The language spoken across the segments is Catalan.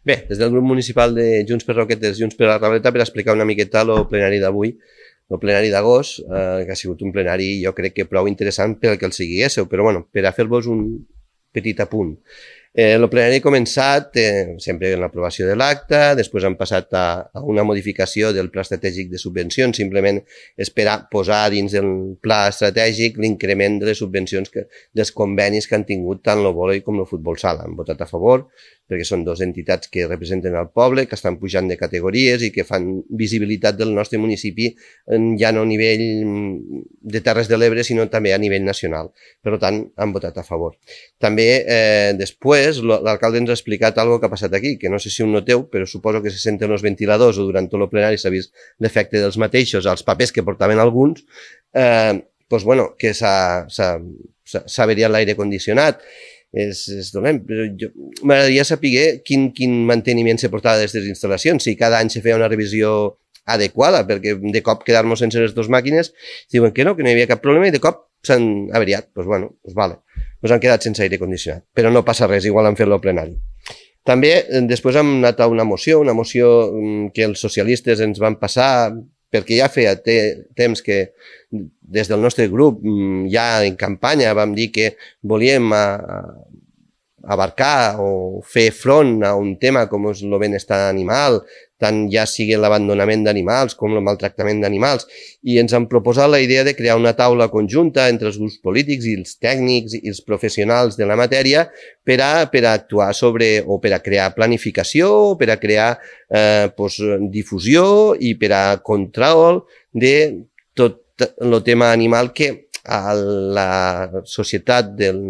Bé, des del grup municipal de Junts per Roquetes, Junts per la Rableta, per explicar una miqueta el plenari d'avui, el plenari d'agost, que ha sigut un plenari, jo crec que prou interessant per al que el siguiéssiu, però bueno, per a fer-vos un petit apunt. El plenari ha començat sempre en l'aprovació de l'acte, després han passat a una modificació del pla estratègic de subvencions, simplement és per a posar dins del pla estratègic l'increment de les subvencions dels convenis que han tingut tant el vòlei com el futbol sala. Han votat a favor, perquè són dues entitats que representen el poble, que estan pujant de categories i que fan visibilitat del nostre municipi ja no a nivell de Terres de l'Ebre, sinó també a nivell nacional. Per tant, han votat a favor. També, després, l'alcalde ens ha explicat algo que ha passat aquí, que no sé si ho noteu, però suposo que se senten els ventiladors o durant tot el plenari s'ha vist l'efecte dels mateixos als papers que portaven alguns, doncs, bueno, que s'ha averiat l'aire condicionat. És dolent, però m'agradaria saber quin manteniment se portava d'aquestes instal·lacions, si cada any se feia una revisió adequada, perquè de cop quedar-nos sense les dues màquines, diuen que no hi havia cap problema i de cop s'han averiat. Doncs bueno, vale, han quedat sense aire condicionat, però no passa res, igual han fet el plenari. També després hem anat a una moció que els socialistes ens van passar, perquè ja feia temps que des del nostre grup, ja en campanya, vam dir que volíem abarcar o fer front a un tema com és el benestar animal, tant ja sigui l'abandonament d'animals com el maltractament d'animals, i ens han proposat la idea de crear una taula conjunta entre els grups polítics i els tècnics i els professionals de la matèria per a actuar sobre, o per a crear planificació, o per a crear difusió i per a control de tot el tema animal que a la societat del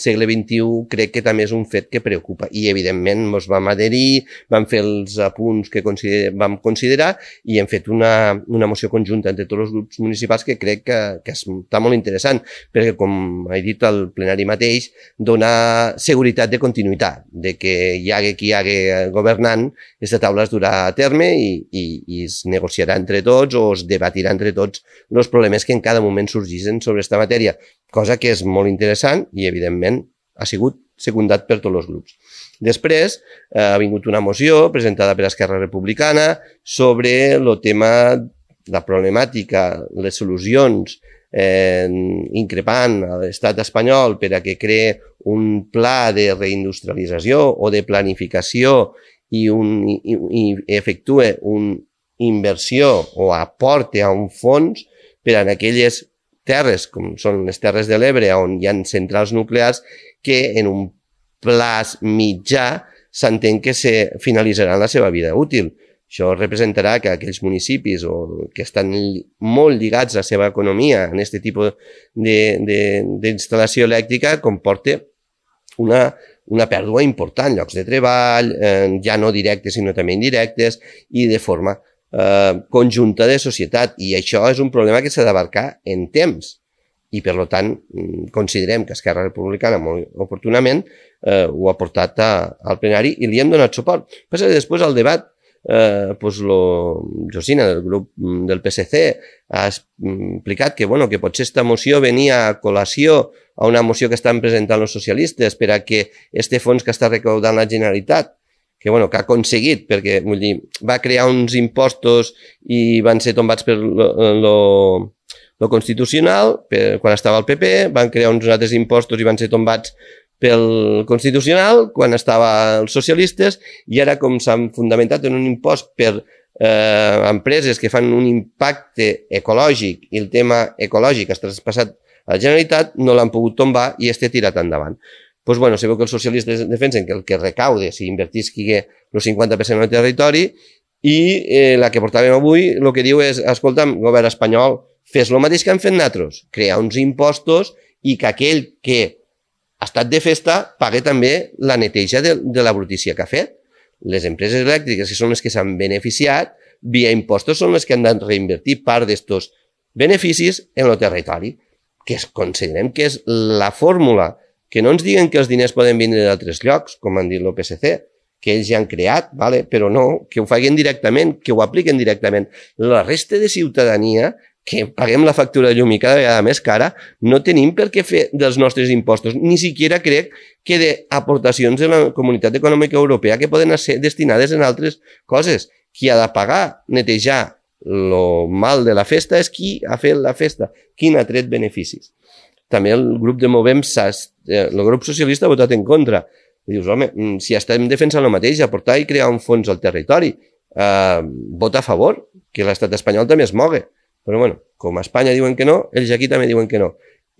segle XXI crec que també és un fet que preocupa i evidentment ens vam adherir, vam fer els apunts que vam considerar i hem fet una moció conjunta entre tots els grups municipals que crec que està molt interessant perquè, com he dit al plenari mateix, dona seguretat de continuïtat, de que hi hagi qui hi hagi governant, aquesta taula es durà a terme i es negociarà entre tots o es debatirà entre tots els problemes que en cada moment sorgeixen sobre aquesta matèria, cosa que és molt interessant i, evidentment, ha sigut secundat per tots els grups. Després ha vingut una moció presentada per Esquerra Republicana sobre el tema, la problemàtica, les solucions increpant a l'estat espanyol per a que cree un pla de reindustrialització o de planificació i efectue una inversió o aporte a un fons per a aquelles terres, com són les Terres de l'Ebre, on hi ha centrals nuclears, que en un plaç mitjà s'entén que se finalitzaran la seva vida útil. Això representarà que aquells municipis que estan molt lligats a la seva economia en aquest tipus d'instal·lació elèctrica comporta una pèrdua important, llocs de treball, ja no directes sinó també indirectes i de forma conjunta de societat, i això és un problema que s'ha d'abarcar en temps i per tant considerem que Esquerra Republicana molt oportunament ho ha portat al plenari i li hem donat suport. Passa que després al debat Josina del grup del PSC ha explicat que potser aquesta moció venia a col·lació a una moció que estan presentant els socialistes per a que este fons que està recaudant la Generalitat que ha aconseguit, perquè va crear uns impostos i van ser tombats per lo Constitucional, quan estava el PP, van crear uns altres impostos i van ser tombats pel Constitucional, quan estava els socialistes, i ara com s'han fundamentat en un impost per empreses que fan un impacte ecològic i el tema ecològic ha traspassat a la Generalitat, no l'han pogut tombar i està tirat endavant. Doncs sabeu que els socialistes defensen que el que recaude si invertisqui el 50% en el territori i la que portàvem avui el que diu és, escolta'm, govern espanyol, fes el mateix que han fet nosaltres, crear uns impostos i que aquell que ha estat de festa pague també la neteja de la brutícia que ha fet. Les empreses elèctriques, que són les que s'han beneficiat, via impostos són les que han de reinvertir part d'aquests beneficis en el territori, que considerem que és la fórmula. Que no ens diguen que els diners poden vindre d'altres llocs, com han dit el PSC, que ells ja han creat, però no, que ho facin directament, que ho apliquen directament. La resta de ciutadania que paguem la factura de llum i cada vegada més cara, no tenim per què fer dels nostres impostos. Ni siquiera crec que d'aportacions de la Comunitat Econòmica Europea que poden ser destinades en altres coses. Qui ha de pagar, netejar lo mal de la festa és qui ha fet la festa, qui n'ha tret beneficis. També el grup de Movem, el grup socialista ha votat en contra. I dius, home, si estem defensant el mateix, aportar i crear un fons al territori, vota a favor, que l'estat espanyol també es mogui. Però bueno, com a Espanya diuen que no, ells aquí també diuen que no.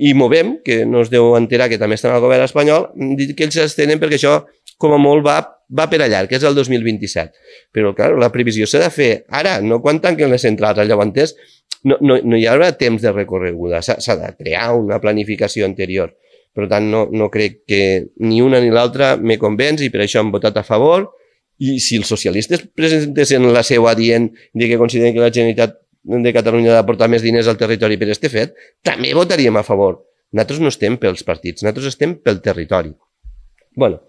I Movem, que no es deu enterar que també estan al govern espanyol, diu que ells s'estenen perquè això com a molt va per allà, que és el 2027. Però, clar, la previsió s'ha de fer ara, no quan tanquen les centrals. Llavors, no hi haurà temps de recorreguda, s'ha de crear una planificació anterior. Per tant, no crec que ni una ni l'altra me convenç i per això han votat a favor. I si els socialistes presentessin la seva dient que consideren que la Generalitat de Catalunya ha d'aportar més diners al territori per este fet, també votaríem a favor. Nosaltres no estem pels partits, nosaltres estem pel territori. Bueno,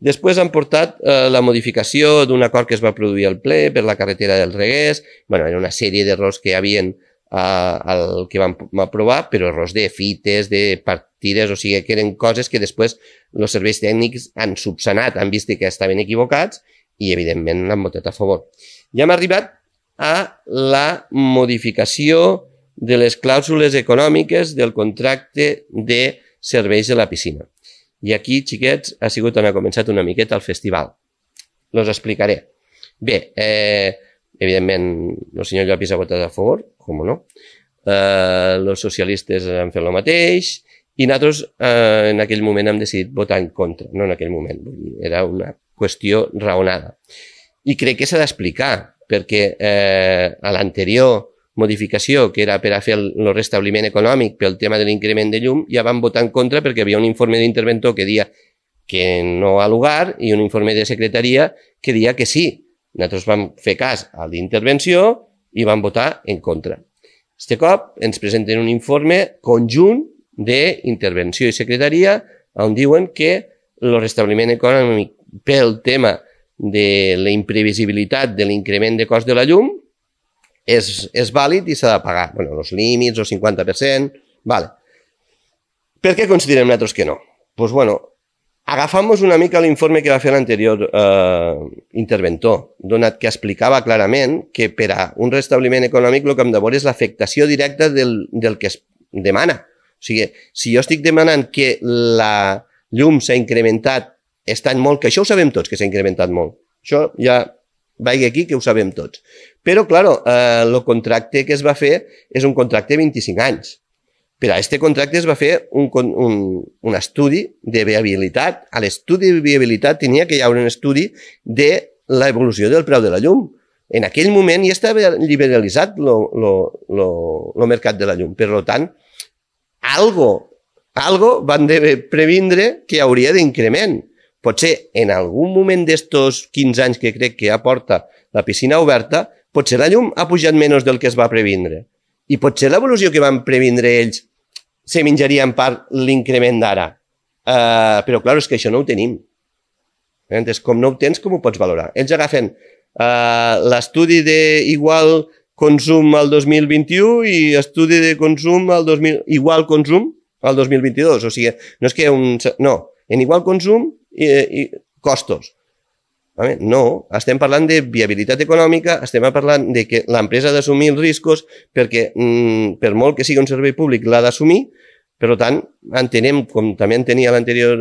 després han portat la modificació d'un acord que es va produir al ple per la carretera del Reguers. Bueno, era una sèrie d'errors que hi havia al que vam aprovar, però errors de fites, de partides, o sigui que eren coses que després els serveis tècnics han subsanat, han vist que estaven equivocats i evidentment l'han votat a favor. Ja hem arribat a la modificació de les clàusules econòmiques del contracte de serveis de la piscina. I aquí, xiquets, ha sigut on ha començat una miqueta el festival. Los explicaré. Bé, evidentment, el senyor Llopis ha votat a favor, com no? Els socialistes han fet el mateix i nosaltres en aquell moment hem decidit votar en contra, no en aquell moment, era una qüestió raonada. I crec que s'ha d'explicar, perquè a l'anterior modificació, que era per a fer el restabliment econòmic pel tema de l'increment de llum, ja vam votar en contra perquè hi havia un informe d'interventor que deia que no ha lugar i un informe de secretaria que deia que sí. Nosaltres vam fer cas a l'intervenció i vam votar en contra. Este cop ens presenten un informe conjunt d'intervenció i secretaria on diuen que el restabliment econòmic pel tema de la imprevisibilitat de l'increment de cost de la llum és vàlid i s'ha de pagar. Bueno, els límits, el 50%, vale. Per què considerem nosaltres que no? Doncs bueno, agafamos una mica l'informe que va fer l'anterior interventor, donat que explicava clarament que per a un restabliment econòmic el que hem de veure és l'afectació directa del que es demana. O sigui, si jo estic demanant que la llum s'ha incrementat estan molt, que això ho sabem tots, que s'ha incrementat molt. Això ja vaig aquí, que ho sabem tots. Però, clar, el contracte que es va fer és un contracte de 25 anys. Per a aquest contracte es va fer un estudi de viabilitat. A l'estudi de viabilitat tenia que hi haver un estudi de l'evolució del preu de la llum. En aquell moment ja estava liberalitzat el mercat de la llum. Per tant, algo van previndre que hi hauria d'increment. Potser en algun moment d'estos 15 anys que crec que ja porta la piscina oberta, potser la llum ha pujat menys del que es va previndre. I potser l'evolució que van previndre ells se menjaria en part l'increment d'ara. Però, clar, és que això no ho tenim. Com no ho tens, com ho pots valorar? Ells agafen l'estudi d'igual consum al 2021 i estudi de consum igual consum al 2022. O sigui, no és que no, en igual consum i costos. No, estem parlant de viabilitat econòmica, estem parlant de que l'empresa ha d'assumir els riscos perquè per molt que sigui un servei públic l'ha d'assumir, per tant entenem, com també entenia l'anterior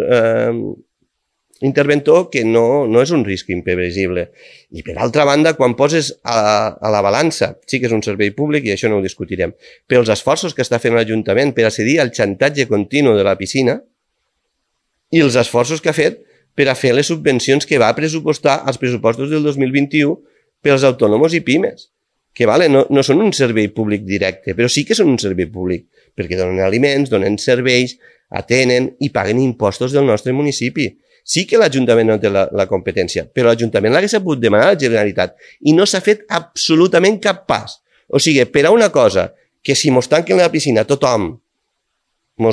interventor, que no és un risc imprevisible. I per altra banda, quan poses a la balança, sí que és un servei públic i això no ho discutirem, però els esforços que està fent l'Ajuntament per accedir al xantatge continu de la piscina i els esforços que ha fet per a fer les subvencions que va pressupostar als pressupostos del 2021 pels autònoms i pimes, que no són un servei públic directe, però sí que són un servei públic, perquè donen aliments, donen serveis, atenen i paguen impostos del nostre municipi. Sí que l'Ajuntament no té la competència, però l'Ajuntament l'hagués sabut demanar a la Generalitat i no s'ha fet absolutament cap pas. O sigui, per a una cosa que si mos tanquen la piscina tothom no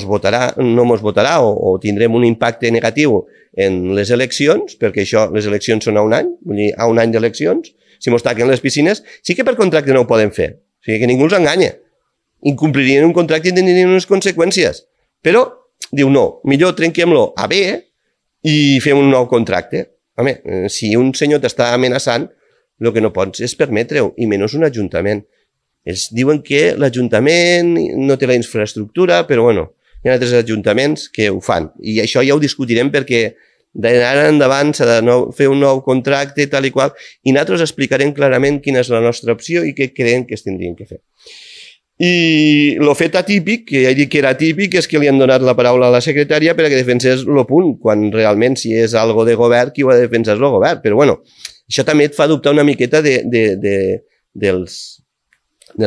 mos votarà o tindrem un impacte negatiu en les eleccions, perquè això, les eleccions són a un any, vull dir, a un any d'eleccions, si mos tanquen les piscines, sí que per contracte no ho poden fer. O sigui, que ningú els enganya. incomplirien un contracte i tindrien unes conseqüències. Però diu no, millor trenquem-lo a bé i fem un nou contracte. Home, si un senyor t'està amenaçant, el que no pots és permetre-ho, i menys un ajuntament. Ells diuen que l'Ajuntament no té la infraestructura, però bueno, hi ha altres ajuntaments que ho fan. I això ja ho discutirem perquè d'ara endavant s'ha de fer un nou contracte tal i qual, i nosaltres explicarem clarament quina és la nostra opció i què creiem que es tindrien que fer. I el fet atípic, que ja he dit que era atípic, és que li han donat la paraula a la secretària perquè defensés el punt, quan realment si és algo de govern, qui ho ha de defensar és el govern. Però bueno, això també et fa dubtar una miqueta dels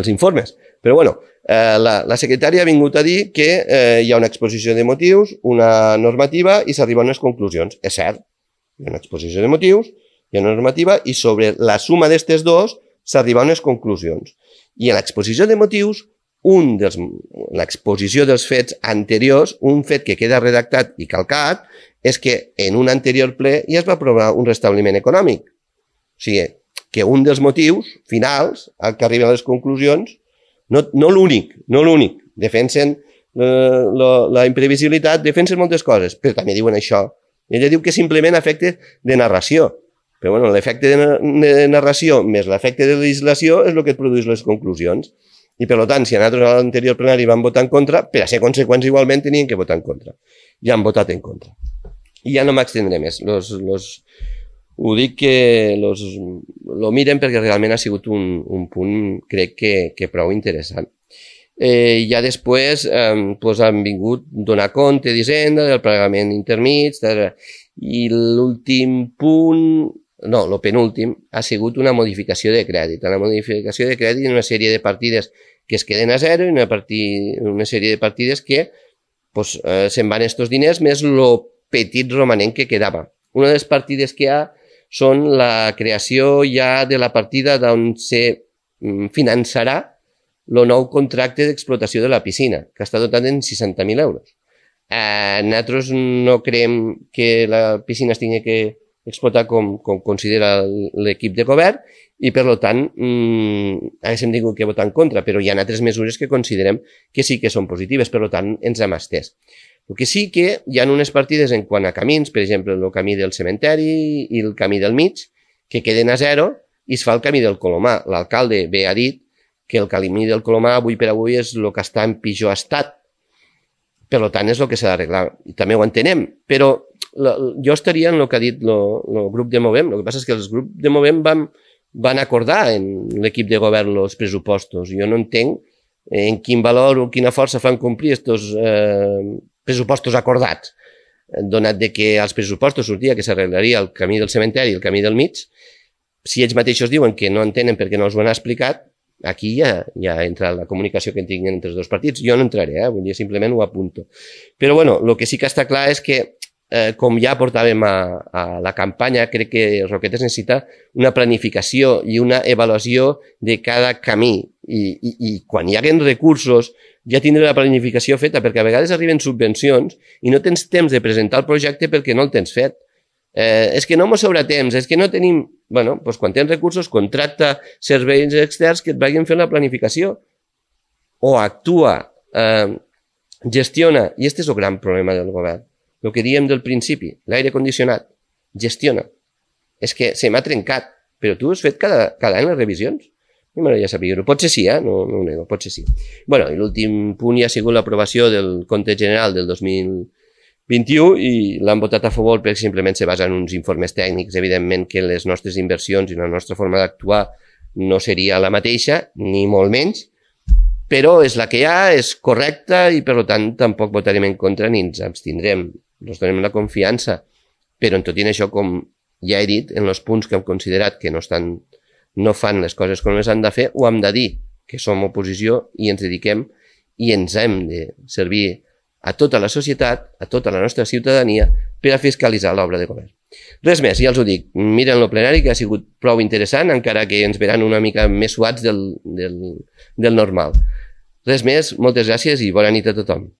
informes. Però bueno, la secretària ha vingut a dir que hi ha una exposició de motius, una normativa i s'arriba a unes conclusions. És cert, hi ha una exposició de motius, hi ha una normativa i sobre la suma d'estes dos s'arriba a unes conclusions. I en l'exposició de motius, l'exposició dels fets anteriors, un fet que queda redactat i calcat, és que en un anterior ple ja es va aprovar un restabliment econòmic. O sigui, que un dels motius finals, al que arriben a les conclusions, no l'únic, defensen la imprevisibilitat, defensen moltes coses, però també diuen això. Ella diu que simplement efecte de narració, però bueno, l'efecte de narració més l'efecte de legislació és el que et produeix les conclusions. I per tant, si a nosaltres a l'anterior plenari van votar en contra, per a ser conseqüents igualment tenien que votar en contra. Ja han votat en contra. I ja no m'extendré més. Ho dic que lo miren perquè realment ha sigut un punt, crec que prou interessant. Ja després han vingut donar compte d'Hisenda, del pagament intermig, i l'últim punt, no, el penúltim, ha sigut una modificació de crèdit. Una modificació de crèdit en una sèrie de partides que es queden a zero i una sèrie de partides que se'n van estos diners més el petit romanent que quedava. Una de les partides que hi ha són la creació ja de la partida d'on se finançarà el nou contracte d'explotació de la piscina, que està dotat en 60.000 euros. Nosaltres no creiem que la piscina es tingui que explotar com considera l'equip de govern i, per tant, haguéssim tingut que votar en contra, però hi ha altres mesures que considerem que sí que són positives, per tant, ens hem estès. El que sí que hi ha unes partides en quant a camins, per exemple, el camí del cementeri i el camí del mig, que queden a zero i es fa el camí del Colomar. L'alcalde bé ha dit que el camí del Colomar avui per avui és el que està en pitjor estat. Per tant, és el que s'ha d'arreglar. I també ho entenem, però jo estaria en el que ha dit el grup de Movem. El que passa és que els grups de Movem van acordar en l'equip de govern els pressupostos. Jo no entenc en quin valor o quina força fan complir aquests pressupostos acordats, donat que als pressupostos sortia que s'arreglaria el camí del cementeri i el camí del mig. Si ells mateixos diuen que no entenen perquè no els ho han explicat, aquí ja entra la comunicació que tinguin entre els dos partits. Jo no entraré, vull dir, simplement ho apunto. Però bueno, el que sí que està clar és que, com ja portàvem a la campanya, crec que Roquetes necessita una planificació i una avaluació de cada camí. I quan hi haguen recursos, ja tindré la planificació feta, perquè a vegades arriben subvencions i no tens temps de presentar el projecte perquè no el tens fet. És que no mos sobra temps, és que no tenim... Bueno, doncs quan tens recursos, contracta serveis externs que et vagin fent la planificació. O actua, gestiona, i aquest és el gran problema del govern. El que diem del principi, l'aire condicionat, gestiona. És que se m'ha trencat, però tu has fet cada any les revisions. I m'agradaria saber-ho. Potser sí, no ho nego, potser sí. Bueno, i l'últim punt ja ha sigut l'aprovació del compte general del 2021 i l'han votat a favor perquè simplement se basa en uns informes tècnics. Evidentment que les nostres inversions i la nostra forma d'actuar no seria la mateixa, ni molt menys, però és la que hi ha, és correcta i per tant tampoc votarem en contra ni ens abstindrem. Ens donem la confiança, però en tot i això, com ja he dit, en els punts que hem considerat que no fan les coses com les han de fer, ho hem de dir, que som oposició i ens dediquem i ens hem de servir a tota la societat, a tota la nostra ciutadania, per a fiscalitzar l'obra de govern. Res més, ja els ho dic, miren el plenari, que ha sigut prou interessant, encara que ens veran una mica més suats del normal. Res més, moltes gràcies i bona nit a tothom.